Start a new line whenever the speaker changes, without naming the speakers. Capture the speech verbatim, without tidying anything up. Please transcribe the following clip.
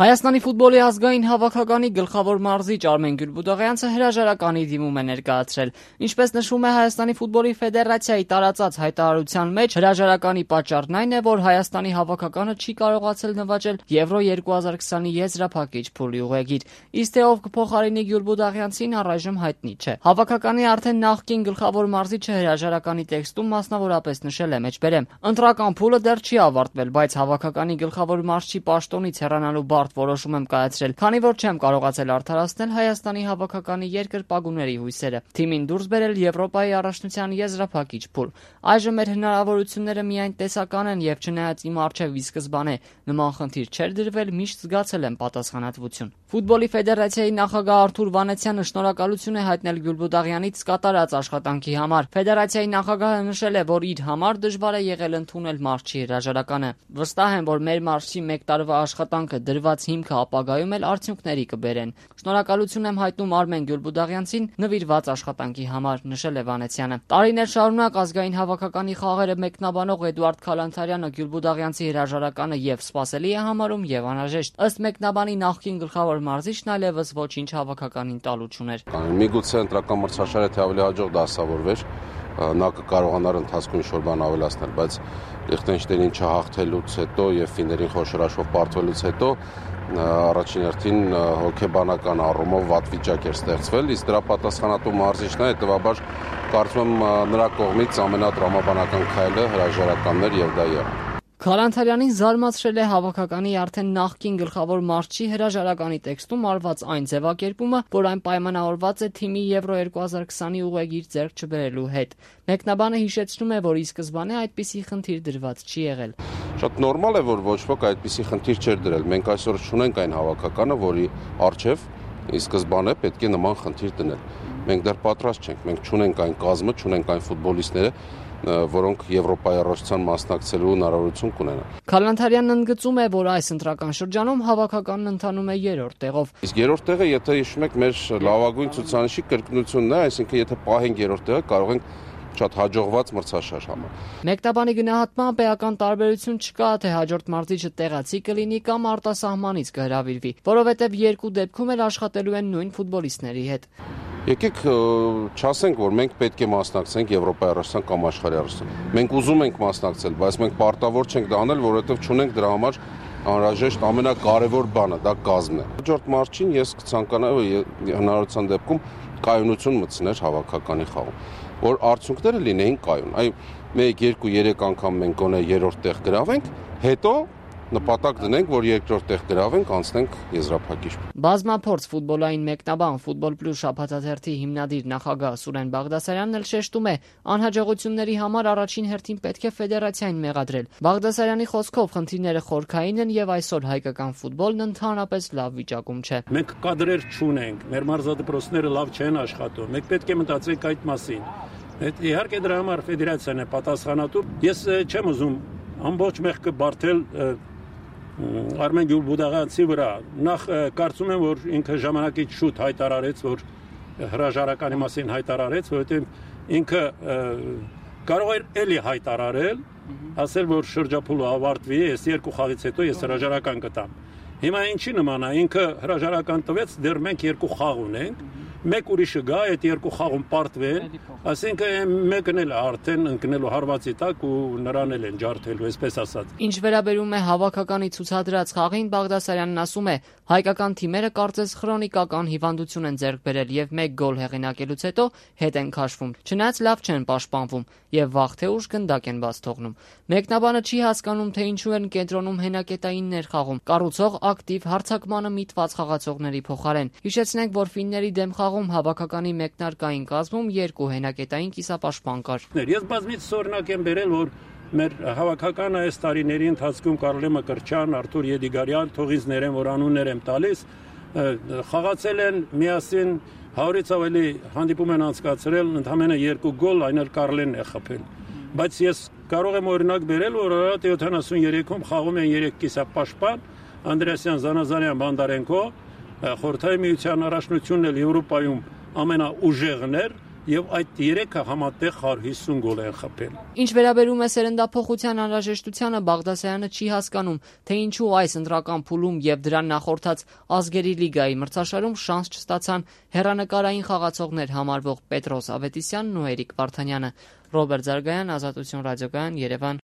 Հայաստանի ֆուտբոլի ազգային հավաքականի գլխավոր մարզիչ Արմեն Գյուլբուդաղյանցը հրաժարականի դիմում է ներկայացրել։ Ինչպես նշվում է Հայաստանի ֆուտբոլի ֆեդերացիայի տարածած հայտարարության մեջ, հրաժարականի պատճառն այն է, որ Հայաստանի հավաքականը չի կարողացել նվաճել Եվրո երկու հազար քսանի եզրափակիչ փուլի ուղեգիր, իսկ թե ով կփոխարինի Գյուլբուդաղյանցին առայժմ հայտնի չէ։ Հավաքականի արդեն նախկին գլխավոր մարզիչը հրաժարականի տեքստում մասնավորապես նշել է մեջբերեմ. «Ընտրական փուլը դեռ չի ավարտվել, բայց հավաքականի գլխավոր մարզչի պաշտոնից հեռանալու բարդ որոշում եմ կայացրել, քանի որ չեմ կարողացել արդարացնել Հայաստանի հավաքականի երկրպագուների հույսերը, թիմին դուրս բերել Եվրոպայի առաջնության եզրափակիչ փուլ։ Այժմ մեր հնարավորությունները միայն տեսական են եւ չնայած իմ առջեւ ի սկզբանե նման խնդիր չէր դրվել, միշտ զգացել եմ պատասխանատվություն»։ Ֆուտբոլի ֆեդերացիայի նախագահ Արթուր Վանեցյանը շնորհակալություն է հայտնել Գյուլբուդաղյանից կատարած աշխատանքի համար։ Ֆեդերացիայի նախագահը նշել է, որ իր համար դժվար է եղել ընդունել մարզչի հրաժարականը։ Վստահ եմ, որ մեր մարզչի մեկ տարվա աշխատանքը դրված հիմքը ապագայում էլ արդյունքների կբերեն։ Շնորհակալություն եմ հայտնում Արմեն Գյուլբուդաղյանցին նվիրված աշխատանքի համար, նշել է Վանեցյանը։ Տարիներ շարունակ ազգային հավաքականի խաղերը մեկնաբանող Էդուարդ Քալանթարյանը Գյուլբուդաղյանցի հրաժարականը եւ սպասելի է համարում եւ անհրաժեշտ։ Ըստ մեկնաբանի նախկին գլխավոր մարզիչն այլևս ոչինչ հավաքականին տալու չուներ։
Միգուցե ընտրական մրցաշարը թե ավելի հաջող դասավորվեր, նա կկարողանար ընթացքում ինչ-որ բան ավելացնել, բայց Լիխտենշտեյնին չհաղթելուց հետո եւ ֆիններին խոշորաշով պարտվելուց հետո առաջին հերթին հոգեբանական առումով վատ վիճակ էր ստեղծվել, իսկ դրա պատասխանատու մարզիչն է, հետեւաբար կարծում եմ նրա կողմից ամենատրամաբանական քայլը հրաժարականն էր եւ դա եղավ։
Քալանթարյանին զարմացրել է հավաքականի արդեն նախկին գլխավոր մարզչի հրաժարականի տեքստում արված այն ձևակերպումը, որ այն պայմանավորված է թիմի Եվրո երկու հազար քսանի ուղեգիր ձեռք չբերելու հետ։ Մեկնաբանը հիշեցնում է, որ ի սկզբանե այդպիսի խնդիր դրված չի եղել։
Շատ նորմալ է, որ ոչ ոք այդպիսի խնդիր չէր դրել։ Մենք այսօր չունենք այն հավաքականը, որի առջև ի սկզբանե պետք է նման խնդիր դնել։ Մենք դեռ պատրաստ չենք, մենք չունենք այն կազմը, չունենք այն ֆուտբոլիստները, որոնք Եվրոպայի առաջնության մասնակցելու հնարավորություն կունենան։
Քալանթարյանն ընդգծում է, որ այս ընտրական շրջանում հավաքականն ընթանում է երրորդ տեղով։
Իսկ երրորդ տեղը, եթե հիշում եք, մեր լավագույն ցուցանիշի կրկնությունն է, այսինքն եթե պահենք երրորդ տեղը, կարող ենք շատ հաջողված մրցաշար համար։
Մեկնաբանի գնահատմամբ էական տարբերություն չկա, թե հաջորդ մարզիչը տեղացի կլինի կամ արտասահմանից կհրավիրվի, որովհետև երկու դեպքում էլ աշխատելու են նույն ֆուտբոլիստների հետ։
Եկեք չասենք, որ մենք պետք է մասնակցենք Եվրոպայի առաջնության կամ աշխարհի առաջնության։ Մենք ուզում ենք մասնակցել, բայց մենք պարտավոր չենք դա անել, որովհետև չունենք դրա համար անհրաժեշտ ամենակարևոր բանը, դա կազմն է։ Հաջորդ մարզչին ես կցանկանայի հնարավորության դեպքում կայունություն մտցներ հավաքականի խաղում, որ արդյունքները լինեին կայուն։ Այ մեկ, երկու, երեք անգամ մենք գոնե երրորդ տեղ գրավենք, հետո նպատակ դնենք, որ երկրորդ տեղ գրավենք, անցնենք եզրափակիչ։
Բազմափորձ ֆուտբոլային մեկնաբան Ֆուտբոլ Պլյուս շաբաթաթերթի հիմնադիր նախագահ Սուրեն Բաղդասարյանն էլ շեշտում է, անհաջողությունների համար առաջին հերթին պետք է ֆեդերացիային մեղադրել։ Բաղդասարյանի խոսքով խնդիրները խորքային են եւ այսօր հայկական ֆուտբոլն ընդհանրապես լավ վիճակում չէ։
Մենք կադրեր չունենք, մեր մարզադպրոցները լավ չեն աշխատում։ Մենք պետք է մտածենք այդ մասին։ Իհարկե դրա համար ֆեդերացիան է պատասխանատու։ Ես չեմ ուզում ամբողջ մեղքը բարթել Արմեն Գյուլբուդաղյանցի վրա։ Նախ կարծում եմ, որ ինքը ժամանակից շուտ հայտարարեց, որ հրաժարականի մասին հայտարարեց, որովհետև ինքը կարող էր էլի հայտարարել, ասել, որ շրջափուլը ավարտվի, ես երկու խաղից հետո ես հրաժարական կտամ։ Հիմա ինչի նման է, ինքը հրաժարական տվեց, դեռ մենք երկու խաղ ունենք, մեկ ուրիշը գա, այդ երկու խաղում պարտվեն, ասենք մեկն էլ արդեն ընկնելու հարվածի տակ ու նրան էլ են ջարդելու, այսպես ասած։
Ինչ վերաբերում է հավաքականի ցուցադրած խաղին, Բաղդասարյանն ասում է, հայկական թիմերը կարծես քրոնիկական հիվանդություն են ձեռք բերել եւ մեկ գոլ հեղինակելուց հետո հետ են քաշվում։ Չնայած լավ չեն պաշտպանվում եւ վաղ թե ուշ գնդակ են բաց թողնում։ Մեկնաբանը չի հասկանում, թե ինչու են կենտրոնում հենակետայիններ խաղում, կառուցող ակտիվ հարձակմանը միտված խաղացողների փոխարեն։ Հիշեցնենք, որ ֆինների դեմ խաղում հավաքականի մեկնարկային կազմում երկու հենակետային կիսապաշտպան կար։
Ես բազմիցս օրինակ եմ բերել, որ մեր հավաքականը այս տարիների ընթացքում Կարլե Մկրտչյան, Արթուր Եդիգարյան, թողից ներեն, որ անուններ եմ տալիս, խաղացել են միասին հարյուրից ավելի հանդիպում են անցկացրել, ընդամենը երկու գոլ, այն էլ Կարլենն է խփել։ Բայց ես կարող եմ օրինակ բերել, որ Արարատ յոթանասուններեքում խաղում են երեք կիսապաշտպան, Անդրեասյան, Զանազարյան, Բանդարենկո, Խորհրդային միության առաջնությունն էլ Եվրոպայում ամենաուժեղն էր, եւ այդ երեքը համատեղ հարյուր հիսուն գոլ են խփել։
Ինչ վերաբերում է սերնդափոխության անհրաժեշտությանը, Բաղդասարյանը չի հասկանում, թե ինչու այս ընտրական փուլում եւ դրան նախորդած ազգերի լիգայի մրցաշարում շանս չստացան հեռանկարային խաղացողներ համարվող Պետրոս Ավետիսյանն ու Էրիկ Վարդանյանը։ Ռոբերտ Զարգայան, Ազատություն ռադիոկայան, Երևան։